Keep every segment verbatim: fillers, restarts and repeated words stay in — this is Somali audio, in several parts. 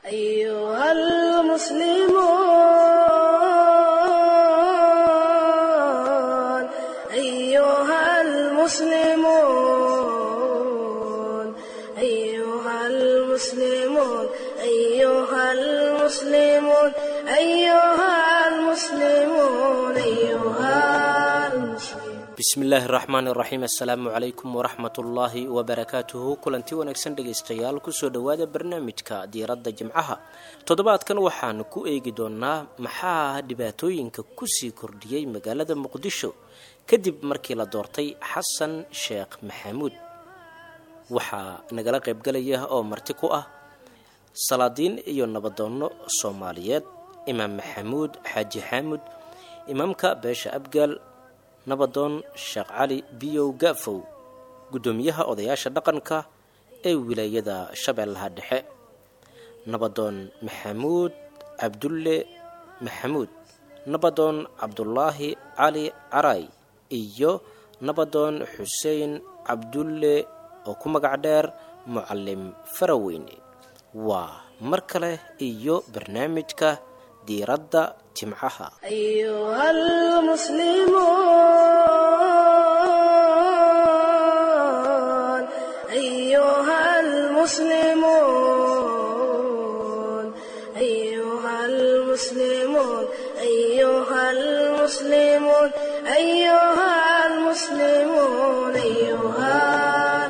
أيها المسلمون أيها المسلمون أيها المسلمون أيها المسلمون أيها المسلمون أيها المسلمون. Bismi illaahi raxmaan iraxiim, assalaamu calaykum waraxmatullaahi wabarakaatuhu. Kulanti wanaagsan dhegaystayaal, kusoo dhowaada barnaamijka diiradda jimcaha. Toddobaadkan waxaan ku eegi doonaa maxaa dhibaatooyinka kusii kordhiyey magaalada Muqdisho kadib markii la doortay Xasan Sheekh Maxamuud. Waxaa nagala qaybgalaya oo marti ku ah salaadiin iyo nabadoonno Soomaaliyeed: Imaam Maxamuud Xaaji Xaamud, imaamka beesha Abgaal, nabadoon Sheekh Cali Biyow Gaafow, guddoomiyaha odayaasha dhaqanka ee wilaayada Shabeellaha Dhexe, nabadoon Maxamuud Cabdulle Maxamuud, nabadoon Cabdulaahi Cali Caray iyo nabadoon Xuseen Cabdulle oo ku magac dheer Mucallim Faraweyne. Waa mar kale iyo barnaamijka diiradda jimcaha. أيها المسلمون أيها المسلمون أيها المسلمون أيها المسلمون أيها المسلمون أيها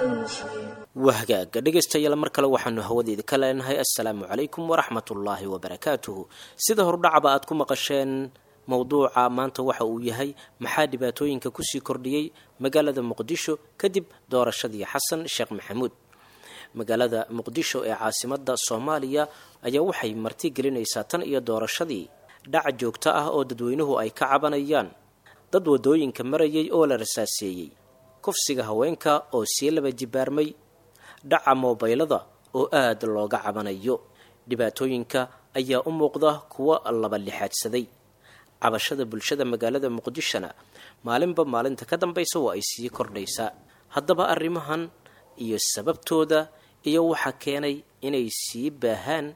المسلمون. Wahagaaga dhegaystayaal, mar kale waxaanu hawadeeda ka leenahay assalaamu calaykum waraxmatullaahi wabarakaatuhu. Sida horudhacaba aad ku maqasheen, mowduuca maanta waxa uu yahay maxaa dhibaatooyinka kusii kordhiyey magaalada Muqdisho kadib doorashadii Xasan Sheekh Maxamuud. Magaalada Muqdisho ee caasimada Soomaaliya ayaa waxay marti gelinaysaa tan iyo doorashadii dhac joogto ah oo dadweynuhu ay ka cabanayaan, dad wadooyinka marayay oo la rasaaseeyey, kufsiga haweenka oo sii laba jibaarmay, dhaca moobaylada oo aada looga cabanayo. Dhibaatooyinka ayaa u muuqda kuwa laba lixaadsaday. Cabashada bulshada magaalada Muqdishona maalinba maalinta ka dambaysa waa ay sii kordhaysaa. Haddaba arrimahan iyo sababtooda iyo waxaa keenay inay sii baahaan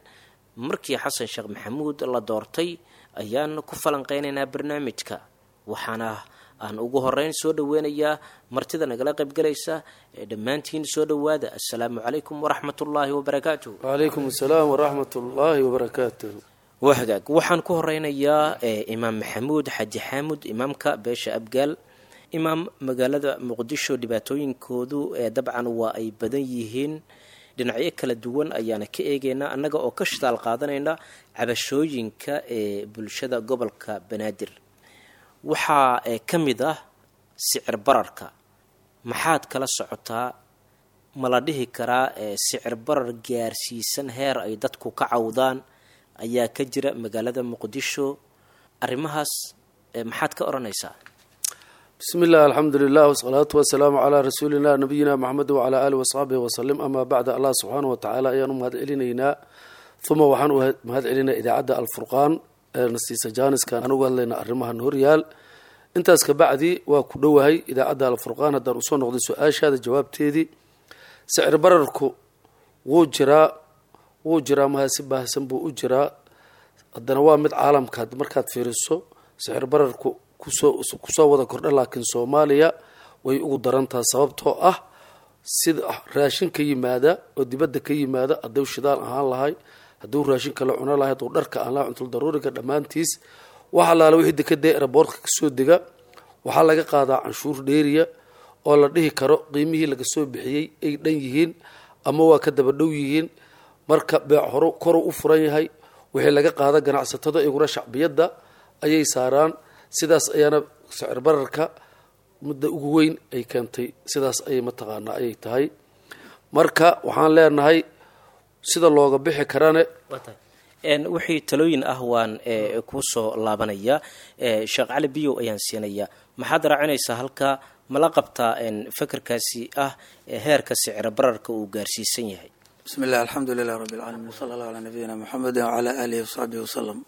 markii Xasan Sheekh Maxamuud la doortay ayaan ku falanqeynaynaa barnaamijka. Waxaana aan ugu horeyn soo dhaweynayaa martida nagala qaybgalaysa. Ee dhammaantiin soo dhowaada, assalaamu calaykum waraxmatullaahi wabarakaatuh. Wacalaykum asalaam waraxmat ullaahi wabarakaatuh. Waa hagaag, waxaan ku horeynayaa ee Imaam Maxamuud Xaaji Xaamud, imaamka beesha Abgaal. Imaam, magaalada Muqdisho dhibaatooyinkoodu ee dabcan waa ay badan yihiin, dhinacyo kala duwan ayaana ka eegeynaa annaga oo ka shitaal qaadanayna cabashooyinka ee bulshada gobolka Banaadir. Waxaa ee ka mid ah sicir bararka. Maxaad kala socotaa? Ma la dhihi karaa ee sicir barar gaarsiisan heer ay dadku ka cawdaan ayaa ka jira magaalada Muqdisho? Arrimahaas ee maxaad ka odhanaysaa? Bismi illah, alxamdu lilah, wasalaatu wasalaamu calaa rasuulina nabiyina Maxamed wacalaa aalihi wasaxbihi wasalim, amaa bacda. Allah subxaana wa tacaala ayaan u mahad celinaynaa, uma waxaan u mahad celinaa idaacadda Alfurqaan ee nasiisa jaaniskan aan uga hadlaynaa arrimahan horyaal. Intaas kabacdi, waa ku dhowahay idaacadda Alfurqaan. Haddaan usoo noqday su-aashaada jawaabteedii, sicir bararku wuu jiraa, wuu jiraa, maha si baahsan buu u jiraa. Haddana waa mid caalamka markaad fiiriso sicir bararku kusoo kusoo wada kordha, laakiin Soomaaliya way ugu darantaha, sababtoo ah sida raashin ka yimaada oo dibadda ka yimaada, hadduu shidaal ahaan lahay, hadduu raashinka la cuno lahay, hadduu dharka aan lahay, cuntul daruuriga dhammaantiis, wax allaala wixii dekada eraboortka kasoo dega waxaa laga qaadaa canshuur dheeriya oo la dhihi karo qiimihii laga soo bixiyey ay dhan yihiin ama waa ka daba dhow yihiin. Marka beec horo koru u furan yahay, wixii laga qaada ganacsatada iguna shacbiyadda ayay saaraan. Sidaas ayaana sicir bararka mudda ugu weyn ay keentay, sidaas ayay mataqaanaa ayay tahay. Marka waxaan leenahay sida looga bixi karane. Wixii talooyin ah waan kuu soo laabanayaa. Sheekh Cali Biyow ayaan siinayaa. Maxaad raacinaysaa halkaa? Mala qabtaa fekerkaasi ah heerka sicir bararka uu gaarsiisan yahay? Bismi illah, alxamdu lilah rabbi alcaalamiin, wsala allahu calaa nabiyina Muxamedi wacalaa aalihi wasaxbihi wasalam.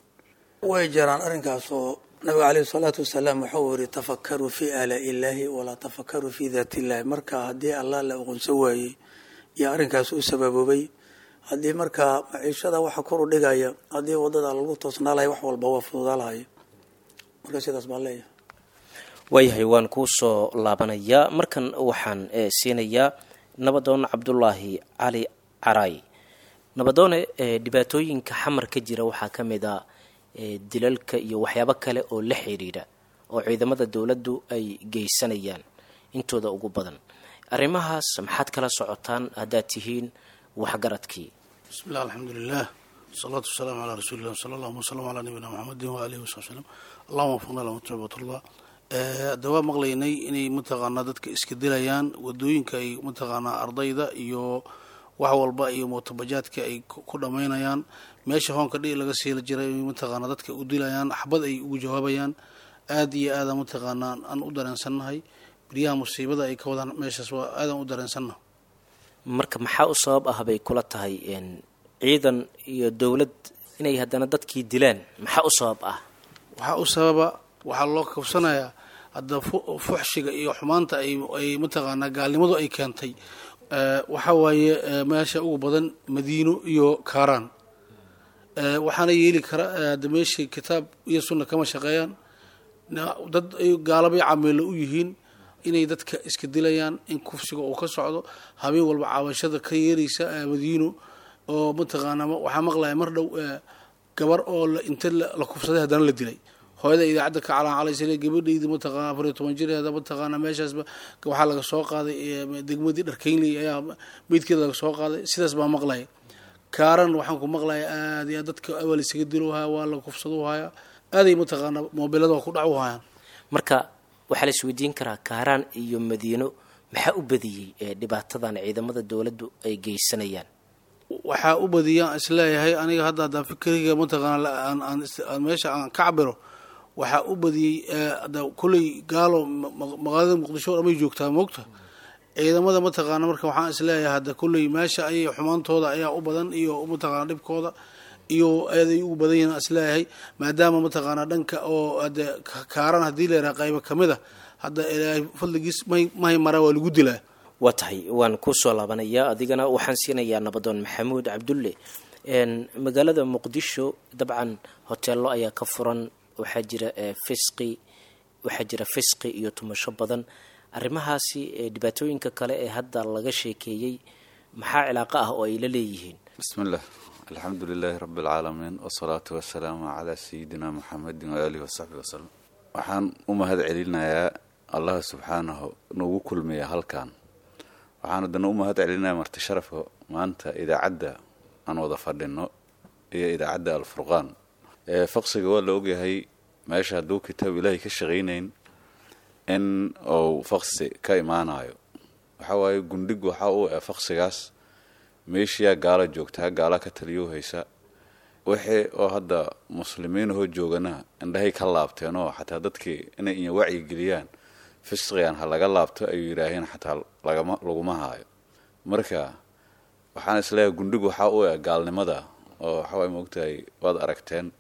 Way jiraan arrinkaas oo nabiga caleyhi salaatu wasalaam wuxuu yiri: "Tafakaruu fii aalaa'i illaahi walaa tafakaruu fii daati illahi." Marka haddii Allah la aqoonsan waayey iyo arrinkaas u sababoobay, Haddii markaa maciishada waxa kor u dhigaya, haddii wadada lagu toosnaa lahay, wax walba waa fududaa lahay. Marka sidaas baan leeyahay. Waayahay, waan kuu soo laabanayaa. Markan waxaan siinayaa Nabadoon Cabdulaahi Cali Caraay. Nabadoone, dhibaatooyinka Xamar ka jira waxaa ka mid a dilalka iyo waxyaabo kale oo la xiriira oo ciidamada dowladdu ay geysanayaan intooda ugu badan. Arrimahaas maxaad kala socotaan haddaad tihiin waxgaradkii? Bismi llah, alxamdulilah, wasalaatu wasalaamu calaa rasuulillah, sala allahuma wasalam calaa nabiyina Maxamedin waalihi wasabi slm. Allahuma wafaqna lama tacbatullah. Hadda waa maqlaynay inay mataqaanaa dadka iska dilayaan wadooyinka, ay mataqaanaa ardayda iyo wax walba iyo mootobajaadka ay ku dhammaynayaan meesha hoonka dhihi laga siila jiray, mataqaanaa dadka u dilayaan, xabad ay ugu jawaabayaan. Aada iyo aada mataqaanaa aan u dareensannahay beryaha musiibada ay ka wadaan meeshaas, waa aadaan u dareensannahay. Marka maxaa u sabab ah bay kula tahay ciidan iyo dowlad inay haddana dadkii dilaan? Maxaa u sabab ah? Waxaa u sababa, waxaa loo kabsanayaa hadda fuxshiga iyo xumaanta ay ay mataqaanaa gaalnimadu ay keentay. Waxaa waaye meesha ugu badan Madiino iyo Kaaraan, waxaana yeeli kara hadda meeshii kitaab iyo sunna kama shaqeeyaan, dad ay gaalabay cameelo u yihiin, inay dadka iska dilayaan, in kufsiga uu ka socdo habeen walba, caawashada ka yeeraysa Madiino oo mataqaanaa. Waxaa maqlaya mar dhow gabar oo inta la kufsaday haddana la dilay. Hooyada idaacadda ka calaacalaysa, gabadhaydi mataqaana afar iyo toban jireeda mataqaana meeshaasba waxaa laga soo qaaday, degmadii Dharkeynley ayaa meydkeeda laga soo qaaday. Sidaas baa maqlaya. Kaaran waxaan ku maqlaya aad iyo aad dadka awal isaga dilohaya, waa la kufsado haya, aaday mataqaana moobilada waa ku dhac u hayaan. Marka waxaa la isweydiin karaa, Kaaraan iyo Madiino maxaa u badiyey dhibaatadan ciidamada dowladdu ay geysanayaan? Waxaa u badiyaan isleeyahay aniga hadda, haddaan fikriga mataqaana aan meesha aan ka cabiro, waxaa u badiyey kulley gaalo magaalada Muqdisho o dhamay joogtaa moogta ciidamada mataqaana. Marka waxaan isleeyahay hadda kulley meesha ayay xumaantooda ayaa u badan iyo mataqaana dhibkooda iyo aaday ugu badan yihiin isleeyahay, maadaama mataqaana dhanka oo hade Kaaran haddii la yidhaha qaybo kamid a hadda Ilaahay fadligiis may mahay maraa waa lagu dilaa. Waa tahay, waan kusoo laabanayaa adigana. Waxaan siinayaa Nabadoon Maxamuud Cabdulle. Magaalada Muqdisho dabcan hoteello ayaa ka furan, waxaa jira fisqi, waxaa jira fisqi iyo tumasho badan. Arrimahaasi dhibaatooyinka kale ee hadda laga sheekeeyey maxaa cilaaqo ah oo ay la leeyihiin? Bismi llah, alxamdu lilaahi rabbi alcaalamiin, wasalaatu wasalaamu calaa sayidina Muxamedin waaalihi wasaxbi wasalam. Waxaan u mahad celinayaa Allah subxaanahu nagu kulmiya halkan. Waxaan haddana u mahad celinayaa marti sharafka maanta idaacadda aan wada fadhino iyo idaacadda Alfurqaan. Faqsiga waa la ogyahay, meesha hadduu kitaab Ilaahay ka shaqaynayn in uu faqsi ka imaanayo. Waxaa waaye gundhig waxaa u eh faqsigaas meeshiyaa gaala joogtaa, gaala ka taliyuu haysa. Wixii oo hadda muslimiinahoo joogana indhahay ka laabteen, oo xataa dadkii inay inya wacyi geliyaan fisqigan ha laga laabto ayuu yidhaaheen, xataa lagama laguma haayo. Marka waxaan isleeyahay gundhig waxaa u eh gaalnimada oo waxawaay moogtahay. Waad aragteen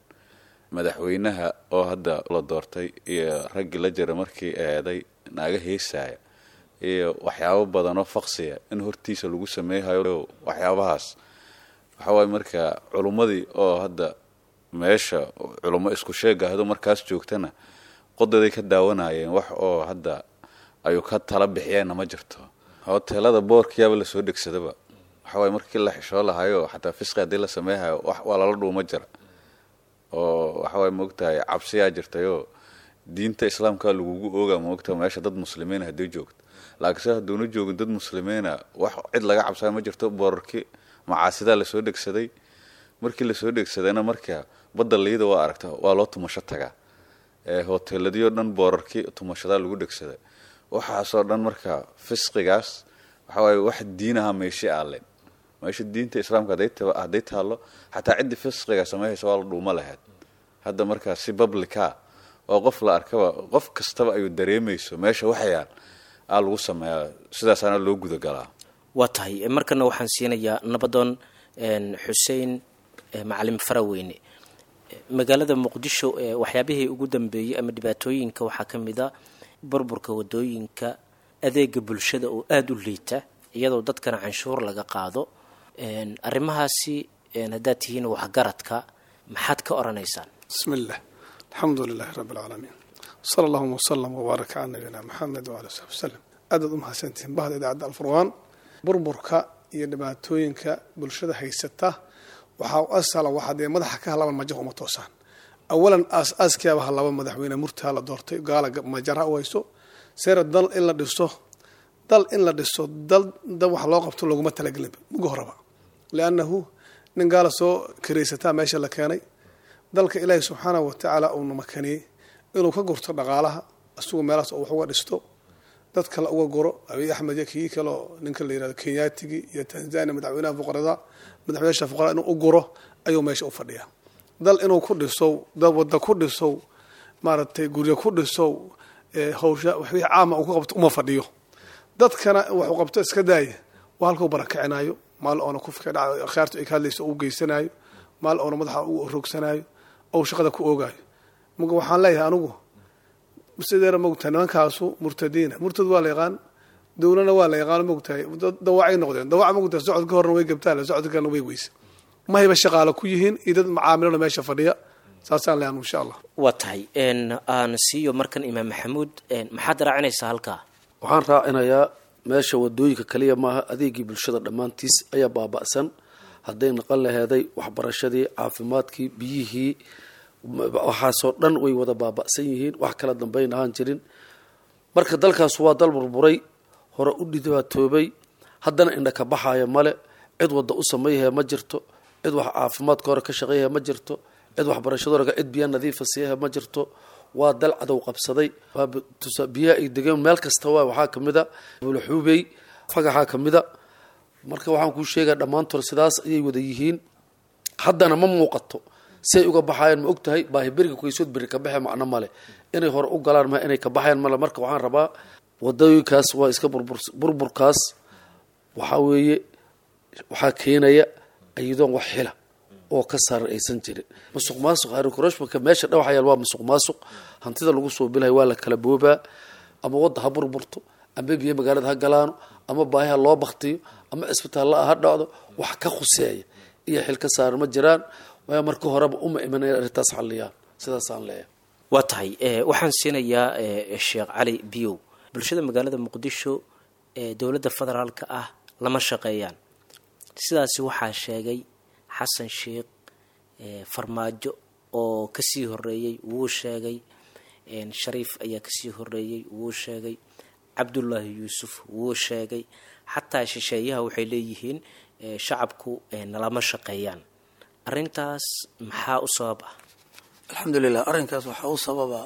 madaxweynaha oo hadda la doortay iyo raggii la jira markii eeday naaga heesaaya iyo waxyaabo badanoo faqsiya in hortiisa lagu sameeyhayo. Waxyaabahaas waxawaay marka culummadii oo hadda meesha culummo isku sheegahdo markaas joogtana qodaday ka daawanayeen, wax oo hadda ayuu ka tala bixiyeenna ma jirto. Hoteelada boorkiyaaba lasoo dhegsadaba. Waxawaay markii la xishoo lahayo xataa fisqi haddii la sameeyhayo wax waa lala dhuuma jira, oo waxawaay moogtahay cabsiyaa jirtayoo diinta islaamka lagugu ooga moogtahay meesha dad muslimiina haddii joogto. Laakiinse hadduuna joogin dad muslimiina, wax cid laga cabsaya ma jirto. Boorarki macaasidaa lasoo dhegsaday. Markii lasoo dhegsadayna marka badda liida waa aragta, waa loo tumasho tagaa. Hoteeladii oo dhan boorarkii tumashadaa lagu dhegsaday. Waxaasoo dhan marka fisqigaas waxawaaye wax diinaha meeshi aaleen. Meesha diinta islaamka hadday taallo xataa ciddii fisqiga sameeyaysa waa la dhuuma lahayd. Hadda markaa si publica oo qof la arkaba, qof kastaba ayuu dareemayso meesha waxyaal aa lagu sameeyaa, sidaasaana loo gudagalaa. Waa tahay, markana waxaan siinayaa Nabadoon Xuseen Macalin Faraweyne. Magaalada Muqdisho waxyaabihii ugu dambeeyey ama dhibaatooyinka waxaa ka mid a burburka wadooyinka, adeega bulshada oo aada u liita, iyadoo dadkana canshuur laga qaado. Arrimahaasi haddaad tihiin waxgaradka maxaad ka oranaysaan? Bismi illah, alxamdu lilahi rabbi alcaalamiin, sala allahuma wasalam wbaaraka cala nabiyina maxamed wala saxbi wasalam. Aadaad u mahadsantihiin bahda idaacadda Alfurqaan. Burburka iyo dhibaatooyinka bulshada haysata waxaa u asala waxaa dee madaxa ka halaban majaha uma toosaan. Awalan aas-aaskiyaaba halaba madaxweyne murtaa la doortay, gaala majara u hayso seera dal in la dhiso, dal in la dhiso, dal dal wax loo qabto laguma talagelinba muga horaba, liannahu nin gaala soo karaysataa meesha la keenay. Dalka ilaahi subxaanahu watacaala uuna makaniyey inuu ka gurto dhaqaalaha, isagu meelahaas oo wax uga dhisto, dad kale uga guro. Abiy Axmed iyo kii kaleo ninka la yirahdo Kenyaatigii iyo Tanzania madaxweynaha fuqarada, madaxweynaha fuqarada inuu u guro ayuu meesha u fadhiyaa. Dal inuu ku dhisow, dad wadda ku dhisow, maaragtay guryo ku dhisow, hawsha wixii caama uu ku qabto uma fadhiyo. Dadkana waxuu qabto iska daaya, waa halkuu barakicinayo, maal oona kufka dhaca khiyaartu ay ka hadlayso u geysanayo, maal oona madaxa u rogsanayo, ou shaqada ku oogaayo. Marka waxaan leeyahay anigu sideera mogtahay nimankaasu murtadiina, murtad waa la yaqaan, dowlana waa la yaqaan, mogtahay dawacay noqdeen. Dawaca mogtahay socodka horna way gabtaan, socodka kalena way weyse, mahayba shaqaale ku yihiin iyo dad macaamilona meesha fadhiya. Saasaan leeyahay insha Allah. Waa tahay, aan siiyo markan Imaam Maxamuud, maxaad raacinaysaa halkaa? Waxaan raacinayaa meesha wadooyinka kaliya maaha, adeegii bulshada dhammaantiis ayaa baaba'san. Hadday naqan laheeday waxbarashadii, caafimaadkii, biyihii, waxaasoo dhan way wada baaba'san yihiin, wax kala dambayn ahaan jirin. Marka dalkaas waa dal burburay, hore u dhibaatoobay, haddana indha ka baxaya male. Cid wadda u sameeyahee ma jirto, cid wax caafimaadka hore ka shaqeeyahee ma jirto, cid waxbarashada hore, cid biya nadiifa siiyahe ma jirto. Waa dal cadow qabsaday. Biyaha ay degeen meel kasta waa waxaa kamid a buulaxuubey, fagaxaa kamid a. Marka waxaan kuu sheegaa dhammaantood sidaas ayay wada yihiin. Haddana ma muuqato si ay uga baxaayaan. Ma og tahay baahi beriga kuysood beri ka baxe macno male, inay hore u galaan ma inay ka baxayaan male. Marka waxaan rabaa wadooyinkaas waa iska burbur. Burburkaas waxaa weeye waxaa keenaya iyadoon wax xila oo ka saaran aysan jirin, musuq maasuq harikoroshmaka meesha dhawaxayaal waa musuq maasuq. Hantida lagu soo bilahay waa la kala boobaa, ama wadda ha burburto, ama biyo magaalada ha galaano, ama baahi ha loo baktiyo, ama cisbitaalla ha dhacdo, wax ka khuseeya iyo xil ka saaran ma jiraan. Waayo marka horeba uma iman inay arrintaas xalliyaan. Sidaasaan leeyahay. Waa tahay, waxaan siinayaa Sheekh Cali Biyow. Bulshada magaalada Muqdisho ee dowladda federaalka ah lama shaqeeyaan, sidaasi waxaa sheegay Xasan Sheekh. Farmaajo oo kasii horeeyey wuu sheegay, Shariif ayaa kasii horeeyey wuu sheegay, Cabdullaahi Yuusuf wuu sheegay, xataa shisheeyaha waxay leeyihiin shacabku nalama shaqeeyaan. Arrintaas maxaa u sabab ah? Alxamdulilah, arrinkaas waxaa u sababa,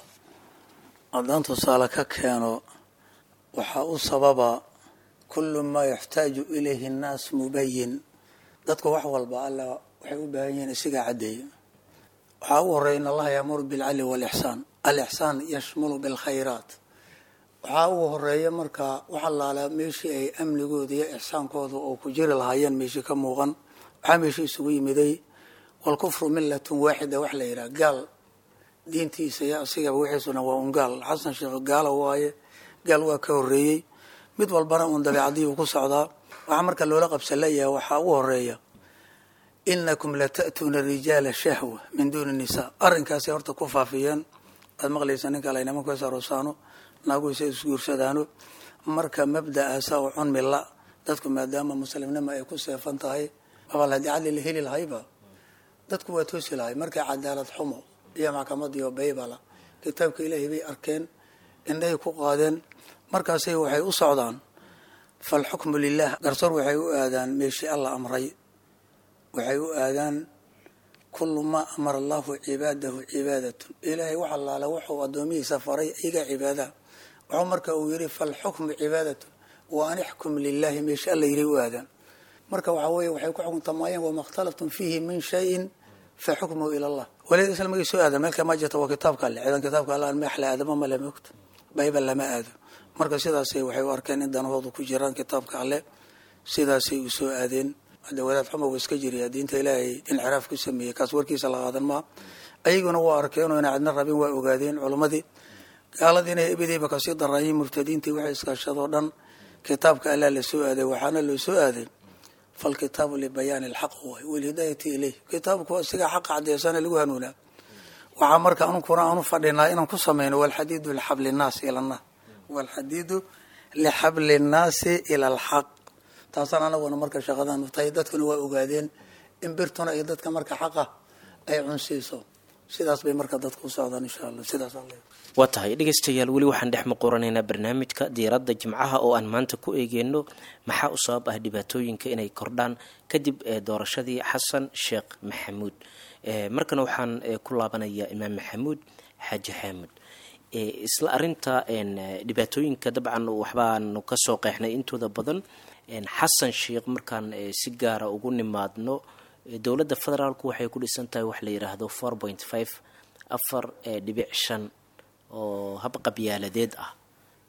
haddaan tusaale ka keeno, waxaa u sababa kullu maa yaxtaaju ilayhi annaas mubayin. Dadku wax walba alla waxay u baahan yihiin isagaa caddeeya. Waxaa ugu horreya in Allaha yaamuru bilcadli waalixsaan, alixsaan yashmulu bilkhayraat. Waxaa ugu horeeya markaa wax allaala meeshii ay amnigooda iyo ixsaankooda oo ku jiri lahaayeen meeshii ka muuqan. Waxaa meeshii isugu yimiday walkufru millatun waaxida, wax la yidhaha gaal diintiisa iyo asigaba wixiisuna waa un gaal. Xasan Sheekh gaala waaye, gaal waa ka horreeyey, mid walbana uun dabeecadii uu ku socdaa. Waxaa marka loola qabsan leeyahay waxaa ugu horeeya inakum lata'tuuna rijaala shahwa min duuni nisaa. Arrinkaasay horta ku faafiyeen. Aad maqlaysa ninka ale nimanku is aroosaano, naagu isa isguursadaano. Marka mabda'aasa oo cunmi la dadku maadaama muslimnimo ay ku seefan tahay, abal haddii cadli la heli lahayba dadku waa toosi lahay. Markay cadaalad xumo iyo maxkamadiyo baybala kitaabka Ilaahay bay arkeen, indhahay ku qaadeen, markaasay waxay u socdaan falxukmu lilah. Garsoor waxay u aadaan meeshii Alla amray, waxay u aadaan kullu maa amara allahu cibaadahu cibaadatun. Ilaahay wax allaala wuxuu addoomihiisa faray iyagaa cibaadaha. Wuxuu marka uu yidhi falxukmu cibaadatun wa an ixkum lilahi, meeshii Alla yidhi u aadaan. Marka waxaa weeye waxay ku xukuntamaayeen wama ikhtalaftum fiihi min shayin fa xukmuhu ila Allah. Waliid isla magay soo aadan meelka ma jirta, waa kitaabka Alle. Ciidan kitaabka Alle aan meex la aadama male moogta bayba lama aado. Marka sidaasay waxay u arkeen in danahoodu ku jiraan kitaabka Alle, sidaasay u soo aadeen. Hadda wadaad xuma uu iska jiriyaa diinta Ilaahay inxiraaf ku sameeyey, kaas warkiisa la qaadan maa. Ayaguna waa arkeen oo inay cidna rabin waa ogaadeen culimmadii. Gaaladiina ebidayba kasii daraayeen, murtadiintii waxay iskaashadoo dhan kitaabka Allaa la soo aaday. Waxaana loo soo aaday Falkitaabu libayaani alxaq waay walhidaayati ilayh. Kitaabku waa siga xaqa caddeysana lagu hanuunaa. Waxaa marka anunkuna aanu fadhinaa inaan ku sameyno walxadiidu lixabli nnaasi ila nnaas, walxadiidu lixabli nnaasi ila alxaq. Taasaan anaguna marka shaqadan tahay, dadkuna waa ogaadeen in birtuna iyo dadka marka xaqa ay cunsiiso. Sidaas bay marka dadku u socdaan insha Allah. Sidaas alle. Waa tahay dhegeystayaal, weli waxaan dhex muquranaynaa barnaamijka diiradda Jimcaha oo aan maanta ku eegeyno maxaa u sabab ah dhibaatooyinka inay kordhaan kadib doorashadii Xasan Sheekh Maxamuud. Markana waxaan ku laabanayaa Imaam Maxamuud Xaaji Xaamud. Isla arinta dhibaatooyinka dabcan waxbaanu kasoo qeexnay intooda badan. Xasan Sheekh markaan si gaara ugu nimaadno, dowladda federaalku waxay ku dhisan tahay wax la yidhaahdo four point five, afar dhibic shan oo hab qabyaaladeed ah.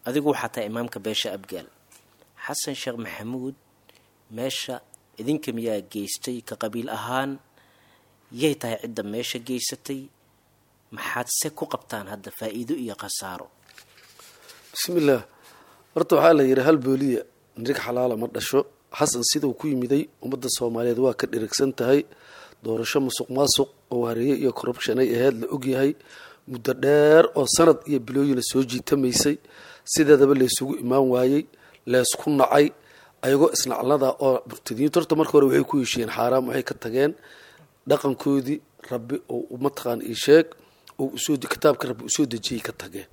Adigu waxaa tahay imaamka beesha Abgaal. Xasan Sheekh Maxamuud meesha idinka miyaa geystay ka qabiil ahaan? Yay tahay cidda meesha geysatay? Maxaad se ku qabtaan hadda faa-iido iyo khasaaro? Bismillaah. Horta waxaa la yidhi hal booliya nirig xalaala ma dhasho. Xasan siduu ku yimiday ummadda Soomaaliyeed waa ka dhirigsan tahay. Doorasho musuq maasuq oo hareeye iyo corruption ay ahayd la ogyahay, muddo dheer oo sanad iyo bilooyina soo jiitamaysay, sideedaba laysugu imaan waayey, laysku nacay ayagoo isnaclada oo murtadiyiintu. Horta marka hore waxay ku heshiiyeen xaaraam, waxay ka tageen dhaqankoodii rabbi oo mataqaan ii sheeg oo usoo kitaabka rabbi usoo dejiyey ka tageen,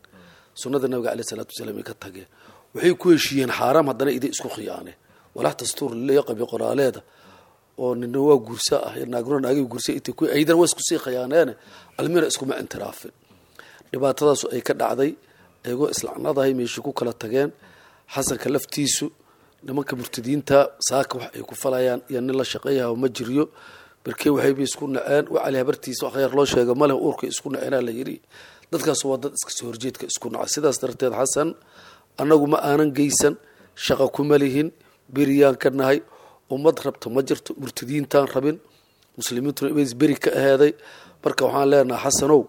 sunnada nabiga caleyhi salaatu wasalaam ay ka tageen. Waxay ku heshiiyeen xaaraam, haddana iday isku khiyaaneen walax dastuur laleeya qabi qoraaleeda oo nina waa guursa ah, naaguna naagay guursa intay ku aydan waa isku sii khiyaaneene, almina iskuma intiraafin. Dhibaatadaasu ay ka dhacday ayagoo islacnadahay meeshii ku kala tageen. Xasanka laftiisu nimanka murtadiinta saaka wax ay ku falayaan iyo nin la shaqeeyaha ma jiryo. Barkee waxayba isku naceen wacali habartiisa wax khayr loo sheega maleh, uurkay isku naceenaa la yidhi. Dadkaas waa dad iska soo horjeedka isku naca. Sidaas darteed Xasan annagu ma aanan geysan, shaqa kuma lihin, beriyaan ka nahay. Ummad rabta ma jirto, murtadiintaan rabin, muslimiintuna ibays beri ka aheeday. Marka waxaan leenahay Xasanow,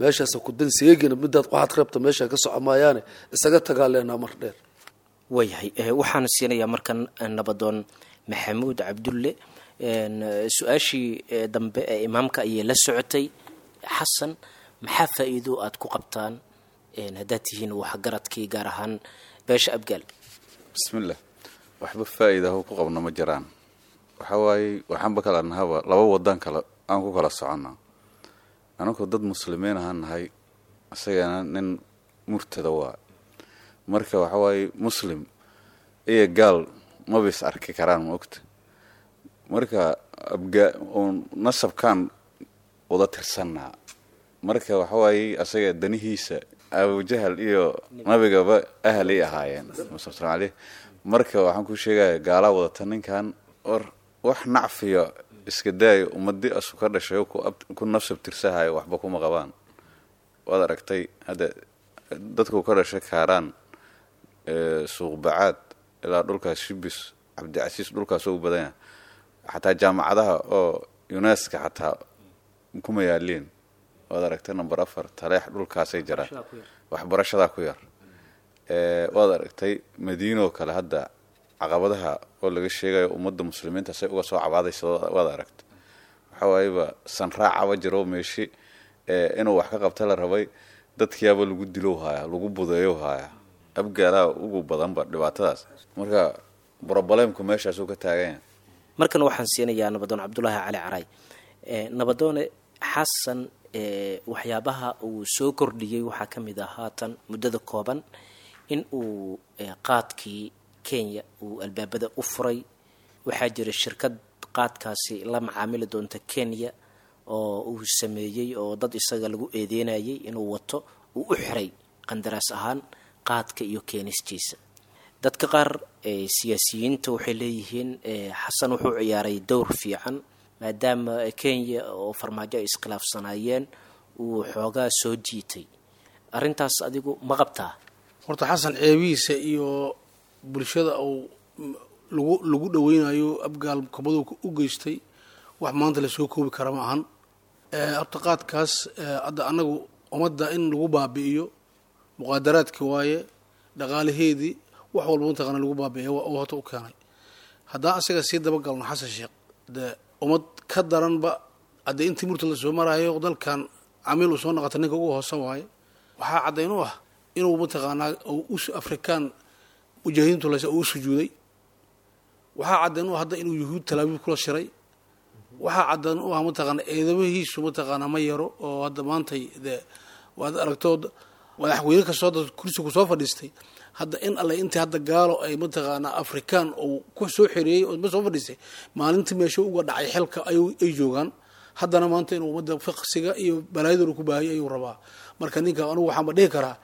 meeshaasa ku dan seegina, midaad waxaad rabta meeshaa ka soco maayaane isaga tagaa leenaha mar dheer. Waayahay, waxaan siinayaa markan nabadoon Maxamuud Cabdulle. Su-aashii dambe ee imaamka ayay la socotay. Xasan maxaa faa-iido aada ku qabtaan haddaad tihiin waxgaradkii gaar ahaan beesha Abgaal? Bismillah. Waxba faa-iidaho ku qabno ma jiraan. Waxa waaye waxaanba kala nahaba laba wadan kale aan ku kala soconnaa. Anagoo dad muslimiin ahaan nahay, isagana nin murtada waa. Marka waxa waaye muslim iyo gaal maba is arki karaan, ma ogta? Marka abga uun nasabkaan wada tirsannaa. Marka waxa waaye asaga danihiisa Abujahal iyo nabigaba ahalay ahaayeen sal aleyh. Marka waxaan ku sheegaya gaalaa wadata ninkan or wax nacfiya iska daayo, ummadii asu ka dhashay ku nafsab tirsahayo waxba kuma qabaan. Waad aragtay hadda dadku ka dhashay Kaaraan, Suuqbacaad ilaa dhulkaas Shibis, Cabdicasiis, dhulkaas u badan yahay. Xataa jaamacadaha oo UNESCA xataa kuma yaaliin. Waad aragtay number afar, Taleex, dhulkaasay jiraan, waxbarashadaa ku yar. Waad aragtay Madiinoo kale hadda caqabadaha oo laga sheegayo ummadda muslimiinta say uga soo cabaadaysa. Waad aragtay waxa waayeba sanraacaba jiro meeshi inuu wax ka qabta la rabay, dadkiyaaba lagu dilow haaya, lagu budeeyow haaya. Abgaalaa ugu badanba dhibaatadaas. Marka broblemku meeshaasuu ka taagan yahay. Markan waxaan siinayaa nabadoon Cabdulaahi Cali Caray. Nabadoone, Xasan waxyaabaha uu soo kordhiyey waxaa ka mid ah haatan muddada kooban in uu qaadkii Kenya uu albaabada u furay. Waxaa jira shirkad qaadkaasi la macaamili doonta Kenya oo uu sameeyey oo dad isaga lagu eedeynayay inuu wato uu u xiray qandaraas ahaan qaadka iyo keenistiisa. Dadka qaar siyaasiyiinta waxay leeyihiin Xasan wuxuu ciyaaray dowr fiican maadaama Kenya oo Farmaajo ay iskhilaafsanaayeen uu xoogaa soo jiitay. Arrintaas adigu ma qabtaa? Horta Xasan ceebihiisa iyo bulshada uu lagu lagu dhaweynayo Abgaal kabaduu u geystay wax maanta lasoo koobi kara ma ahan. Horta qaadkaas hadda annagu ummadda in lagu baabi'iyo muqaadaraadki waaye, dhaqaalaheedii wax walba mataqaana lagu baabi'iyo oo horta u keenay. Haddaan asaga sii dabagalno Xasan Sheekh, dee ummad ka daranba haddee intii murta la soo maraayo dalkan camiil uu soo noqota ninka ugu hoosan waaye. Waxaa caddayn u ah inuu mataqaanaa us Afrikaan mujaahidiintu lase uu sujuuday. Waxaa caddayn u ah hadda inuu Yuhuud Talaabiib kula shiray. Waxaa caddayn u ah mataqaanaa eedamahiisu mataqaanaa ma yaro oo hadda maantay dee waad aragtoo madaxweyne kastoo hadda kursi ku soo fadhiistay, hadda in alle intii hadda gaalo ay mataqaanaa Afrikaan uu ku soo xereeyey oo ma soo fadhiistay, maalintii meesha uga dhacay xilka ay joogaan. Haddana maanta inuu ummadda fiqsiga iyo balaayadooda ku baahiyay ayuu rabaa. Marka ninka anugu waxaanba dhihi karaa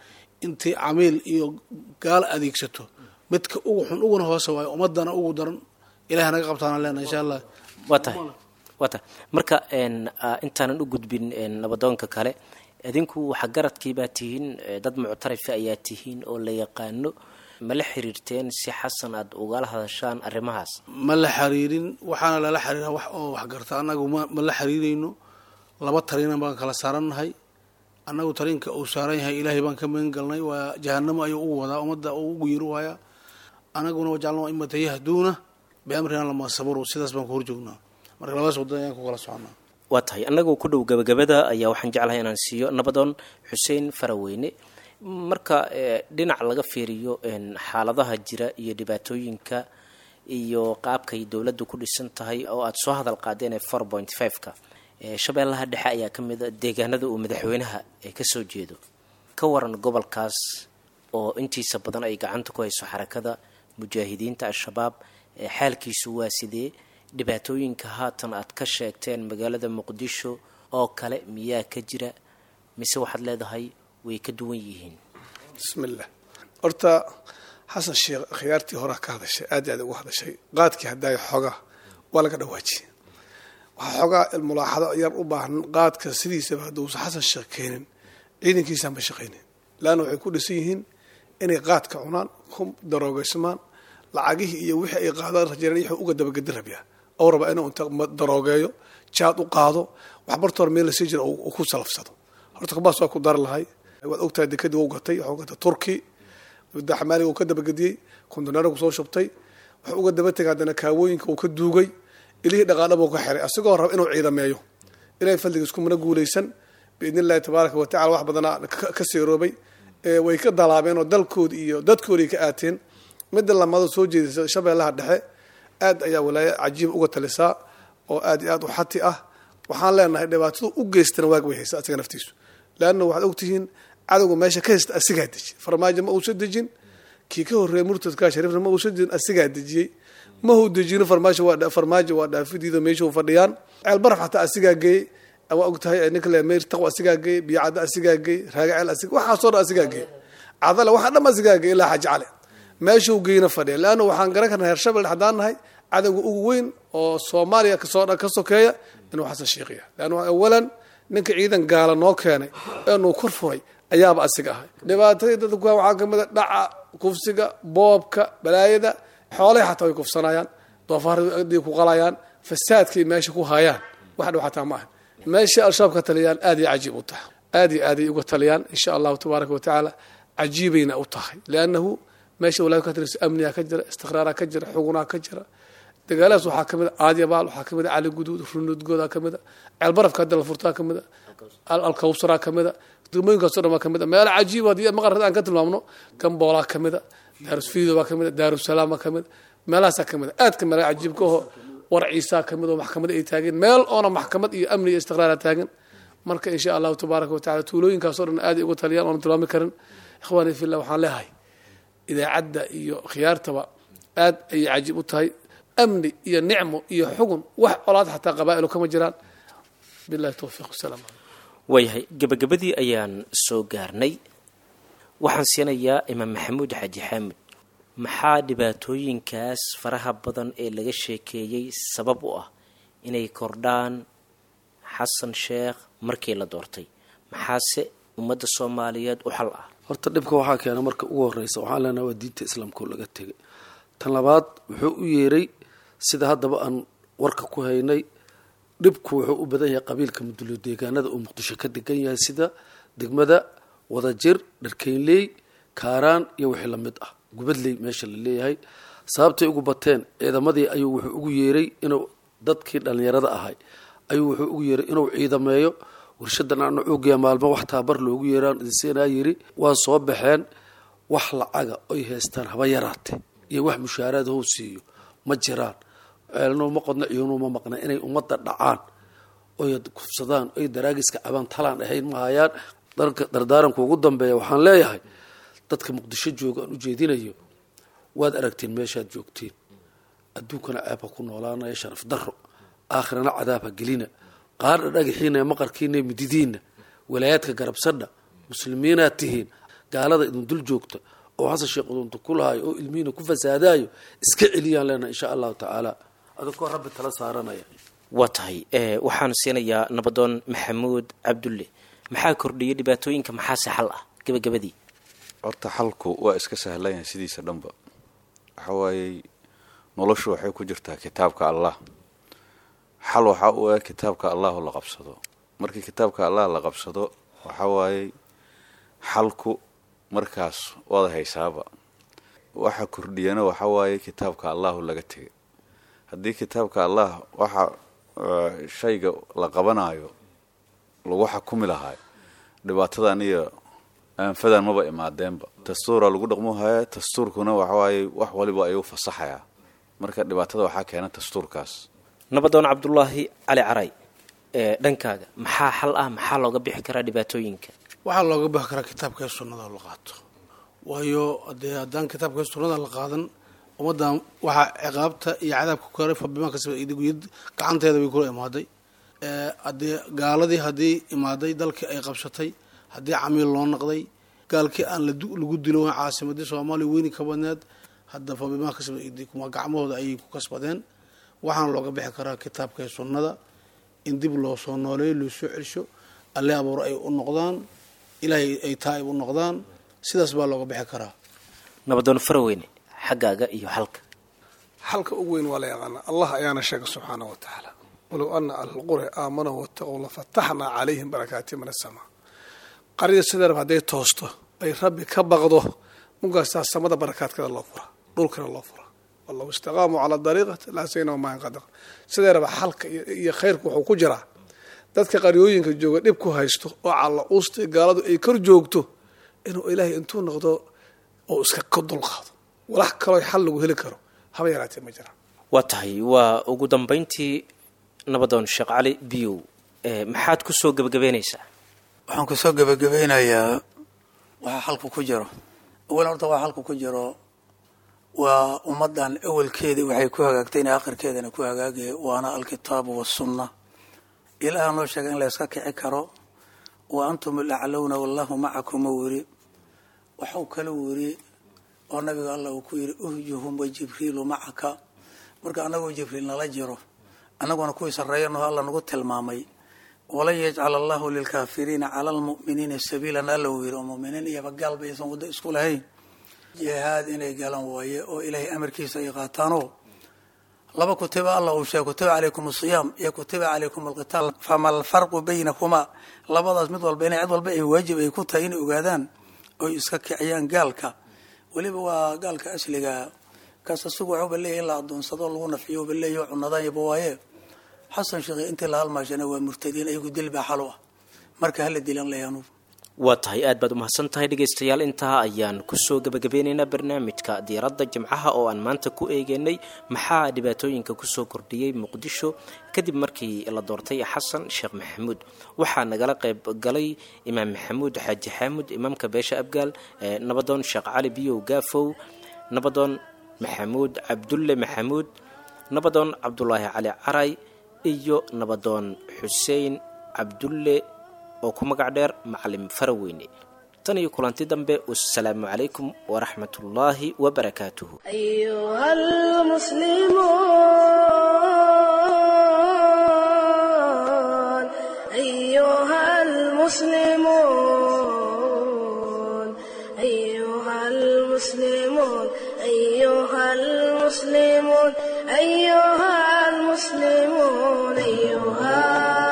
intii camiil iyo gaalo adeegsato midka ugu xun uguna hoose waayo, ummadana ugu daran. Ilaah naga qabtaana leenahay insha Allah. Waa tahay, waa tahay. Marka intaanan u gudbin nabadoonka kale, idinku waxgaradkii baa tihiin, dad muctarifa ayaa tihiin oo la yaqaano, ma la xiriirteen si Xasan aada ugala hadashaan arrimahaas? Ma la xiriirin, waxaana lala xiriira wax oo waxgarta. Annagu ma ma la xiriirayno. Laba tariina baan kala saarannahay. Annagu tariinka uu saaran yahay Ilaahay baan ka magan galnay, waa jahanamo ayuu ugu wadaa ummadda uu ugu yeeri waayaa. Anaguna wajacalnaa aimata yahduuna biamrina lamaa sabaruu, sidaas baan ku horjoognaa. Marka labadaas wadan ayaan ku kala soconaa. Waa tahay. Annagoo ku dhow gabagabada ayaa waxaan jeclahay inaan siiyo nabadoon Xuseen Faraweyne. Marka dhinac laga fiiriyo xaaladaha jira iyo dhibaatooyinka iyo qaabkay dowladdu ku dhisan tahay oo aada soo hadal qaadeen ee four point five-ka, Shabeellaha Dhexe ayaa ka mid a deegaanada uu madaxweynaha kasoo jeedo. Ka waran gobolkaas oo intiisa badan ay gacanta ku hayso Xarakada Mujaahidiinta Al-Shabaab, xaalkiisu waa sidee? Dhibaatooyinka haatan aad ka sheegteen magaalada Muqdisho oo kale miyaa ka jira, mise waxaad leedahay way ka duwan yihiin? Bismillah. Horta Xasan Sheekh khiyaartii horaa ka hadashay, aad iyo aad uga hadashay. Qaadkii hadaayo xoogaa waa laga dhawaajiyey. Waxaa xoogaa mulaaxado yar u baahan: qaadka sidiisaba hadduusan Xasan Sheekh keenin, ciidankiisaan ba shaqaynin, laanna waxay ku dhisan yihiin inay qaadka cunaan, ku daroogeysmaan. Lacagihii iyo wixii ay qaadaan rajeereen wuxuu uga dabagedi rabyaa oo rabaa inuu inta daroogeeyo jaad u qaado wax barta hore meel lasii jira uu ku salafsado. Horta kabaas waa ku dari lahay. Waad ogtahay, dekadii wuu gatay, wuxuu gatay Turki daxmaaliga uu ka dabagediyey, kondoneero kusoo shubtay. Wuxuu uga daba tegay haddana kaawooyinka uu ka duugay, ilihii dhaqaadhaba uu ka xiray, asagoo raba inuu ciidameeyo. Ilahay fadligiis kumana guulaysan biidni Illahi tabaaraka wa tacala. Wax badanaa ka seeroobay, way ka dalaabeen oo dalkoodi iyo dadkoodii ka aateen. Midda lamado soo jeedisa, Shabeellaha Dhexe aad ayaa walaayo cajiib uga talisaa oo aad iyo aad u xati ah. Waxaan leenahay dhibaatadu u geystana waag way haysa asaga naftiisu, leanna waxaad ogtihiin cadowga meesha ka haysta asigaa deji. Farmaajo ma uusa dejin, kii ka horreeyay murtadka Shariifna ma uusa dejin, asigaa dejiyey. Ma huu dejino Farmaajo, waa Farmaajo waa dhaafidiido meesha fadhiyaan. Ceel Baraf xataa asigaa geeyey, waa ogtahay. Ninka le Meyr Taqwa asigaa geeyey, Biyocadda asigaa geeyey, Raagaceel asiga, waxaasoo dhan asigaa geeyey, Cadale waxaa dhan asigaa geeyey, ilaa Xaaji Cali meeshuu geyna fadhiya. Leanna waxaan garan karnaa heer Shabel haddaan nahay cadowga ugu weyn oo Soomaaliya kasoo ka sokeeya inuu Xasan Sheekh yahay, leanna awalan ninka ciidan gaala noo keenay ee nuu kor furay ayaaba asiga ahay. Dhibaatadii dadka ku waxaa kamid a dhaca, kufsiga, boobka, balaayada, xoolahay xataa way kufsanayaan, doofaarday ku qalayaan, fasaadkay meesha ku hayaan wax dhow xataa ma aha. Meesha Al-Shabaab ka taliyaan aad iyo cajiib u tahay, aad iyo aaday uga taliyaan insha Allahu tabaaraka wa tacaala, cajiibayna u tahay, liannahu meesha walaayad ka taliso amnigaa ka jira, istiqraaraa ka jira, xugunaa ka jira. Dagaaladaas waxaa kamid a Aadyabaal, waxaa kamid a Cali Guduud, Runudgoodaa kamid a, Ceelbarafka hadda la furtaa kamid a, Alkawsaraa kamid a, degmooyinkaaso dhan baa kamid a. Meelo cajiib haddii maqarad aan ka tilmaamno, Gamboolaa kamid a, Daarusfiido baa kamid a, Daarusalaam baa kamid a, meelahaasaa kamid a aadka meelaha cajiibka aho. Warciisaa kamid oo maxkamad ay taageen, meel oona maxkamad iyo amni iyo istiqraara taagan. Marka insha Allahu tabaaraka wa tacala tuulooyinkaasoo dhan aaday uga taliyaan oona tilmaami karin. Ikhwaani fillah, waxaan leeyahay idaacadda iyo khiyaartaba aad ayay cajiib u tahay, amni iyo nicmo iyo xugun, wax colaad xataa qabaa'ilu kama jiraan. Billahi towfiiq, wasalaam calaykum. Waayahay, gabagabadii ayaan soo gaarnay. Waxaan siinayaa Imaam Maxamuud Xaaji Xaamud. Maxaa dhibaatooyinkaas faraha badan ee laga sheekeeyey sabab u ah inay kordhaan Xasan Sheekh markii la doortay, maxaase ummadda Soomaaliyeed u xal ah? Horta dhibka waxaa keena marka ugu horeysa waxaan leenahay waa diinta Islaamka oo laga tegay. Tan labaad, wuxuu u yeeray sida haddaba aan warka ku haynay, dhibku wuxuu u badan yahay qabiilka Mudulo deegaanada uu Muqdisho ka degan yahay, sida degmada Wadajir, Dharkeynley, Kaaraan iyo wixii lamid ah, Gubadley meesha la leeyahay. Sababtay ugu bateen, ciidamadii ayuu wuxuu ugu yeeray inuu dadkii dhallinyarada ahay ayuu wuxuu ugu yeeray inuu ciidameeyo. Warshadan ana cuugiya maalmo wax taabar loogu yeeraan idinsiinaa yiri. Waa soo baxeen, wax lacaga oy haystaan haba yaraate iyo wax mushaaraad how siiyo ma jiraan. Ceelno ma qodna, ciyuunu ma maqna, inay ummadda dhacaan oy kufsadaan oy daraagiska cabaan talaan ahayn ma hayaan. Dardaaranka ugu dambeeya waxaan leeyahay dadka Muqdisho jooga aan ujeedinayo, waad aragteen meeshaad joogteen. Adduunkana ceeb ha ku noolaanaya, sharaf darro, aakhirana cadaab ha gelina. Qaardha dhagaxiina, maqarkiina, mididiinna, walaayaadka garabsadha, muslimiinaad tihiin. Gaalada idin dul joogta oo Xasan Sheekh udunta ku lahayo oo ilmihiina ku fasaadaayo iska celiyaan leenahay, insha Allahu tacaala, adakoo Rabbi tala saaranaya. Waa tahay, waxaan siinayaa nabadoon Maxamuud Cabdulle. Maxaa kordhiyay dhibaatooyinka, maxaase xal ah gabagabadii? Horta xalku waa iska sahlan yahay sidiisa dhanba. Waxa waayey, noloshu waxay ku jirtaa kitaabka Allah. Xal waxaa u ah kitaabka Allahu la qabsado. Markii kitaabka Allah la qabsado, waxa waayey xalku markaas waad haysaaba. Waxa kordhiyana waxa waaye kitaabka Allahu laga tegay. Haddii kitaabka Allah waxa shayga la qabanayo lagu xakumi lahaa, dhibaatadan iyo aanfadan maba imaadeenba. Dastuura lagu dhaqmo haya, dastuurkuna waxawaaye wax waliba ayuu fasaxayaa. Marka dhibaatada waxaa keena dastuurkaas. Nabadoon Cabdulaahi Cali Caray, ee dhankaaga maxaa xal ah? Maxaa looga bixi karaa dhibaatooyinka? Waxaa looga bixi karaa kitaabka sunnada la qaato, waayo dee haddaan kitaabka sunnada la qaadan, ummaddan waxaa ciqaabta iyo cadaabka ku karay fabimaa kasaba gacanteeda bay kula imaaday. Haddii gaaladii haddii imaaday dalkii ay qabsatay, haddii camiil loo noqday, gaalkii aan lagu dilo caasimadii Soomaaliya weyni ka badneed, hadda fabimaa kasaba kuma gacmahooda ayay ku kasbadeen. Waxaana looga bixi karaa kitaabka sunnada in dib loo soo nooleeyo, loo soo celsho, Alle abuur ay u noqdaan, Ilaahay ay taa'ib u noqdaan. Sidaas baa looga bixi karaa. Nabadoon Faraweyne, xaggaaga iyo xalka? Xalka ugu weyn waa la yaqaanaa, Allah ayaana sheegay subxaana wa tacaala: walow ana ahlulqura aamanuu wattaqow lafataxnaa calayhim barakaati min asamaa. Qaryada sidaa rab hadday toosto ay Rabbi ka baqdo, munkaasaa samada barakaadkeeda loo fura, dhulkana loo fura. Walow istaqaamuu calaa dariiqati laasaynahu maan qadaq. Sidee raba xalka iyo khayrku wuxuu ku jiraa dadka qaryooyinka jooga dhib ku haysto oo calla uusta gaaladu ay kor joogto, inuu Ilaahay intuu noqdo oo iska ka dulqaado. Walax kaloo xal lagu heli karo haba yaraatee ma jiraan. Waa tahay, waa ugu dambayntii nabadoon Sheekh Cali Biyow, maxaad ku soo gebagabeynaysaa? Waxaan kusoo gebagabeynayaa waxaa xalku ku jiro. Awalan horta waxaa xalku ku jiro waa ummaddan awalkeedii waxay ku hagaagtay inay akhirkeedana ku hagaagaya, waana alkitaabu wasunna. Ilaaha noo sheegay in la yska kici karo: wa antum alaclowna wallahu macakum u wiri. Waxau kala wiri oo nabiga Alla uu ku yidhi: uhjuhum wa Jibriilu macaka. Marka annagoo Jibriil nala jiro, annaguna kuwii sarreeyanaho Alla nagu tilmaamay. Walan yajcal Allahu lilkaafiriina cala almu'miniina sabiilan, Alla uu yidhi, oo muminiin iyoba gaalba aysan waddo isku lahayn. Jihaad inay galan waaye oo Ilaahay amarkiisa ay qaataanoo laba kutiba Alla uu sheegay: kutiba calaykum asiyaam iyo kutiba calaykum alqitaal. Fama alfarqu baynakumaa? Labadaas mid walba inay cid walba ay waajib ay ku tahay inay ogaadaan oy iska kiciyaan gaalka. Weliba waa gaalka asliga kaas, asigu waxuuba leeyahy in la adoonsado lagu nafiyo uba leeyahy, cunadanyaba waaye. Xasan Sheekh intii la halmaashana waa murtadiin, ayagu dil baa xal u ah, marka hala dilan leeyaanu. Waa tahay, aad baad umahadsan tahay. Dhegaystayaal, intaa ayaan kusoo gebagabeynaynaa barnaamijka diiradda jimcaha oo aan maanta ku eegeynay maxaa dhibaatooyinka kusoo kordhiyey Muqdisho kadib markii la doortay Xasan Sheekh Maxamuud. Waxaa nagala qayb galay Imaam Maxamuud Xaaji Xaamud, imaamka beesha Abgaal, nabadoon Sheekh Cali Biyow Gaafow, nabadoon Maxamuud Cabdulle Maxamuud, nabadoon Cabdulaahi Cali Caray iyo nabadoon Xuseen Cabdulle oo ku magac dheer Macalim Faraweyne. Tan iyo kulanti dambe, wassalaamu calaykum waraxmatullaahi wabarakaatuhu. أيها المسلمون أيها المسلمون أيها المسلمون أيها المسلمون أيها المسلمون أيها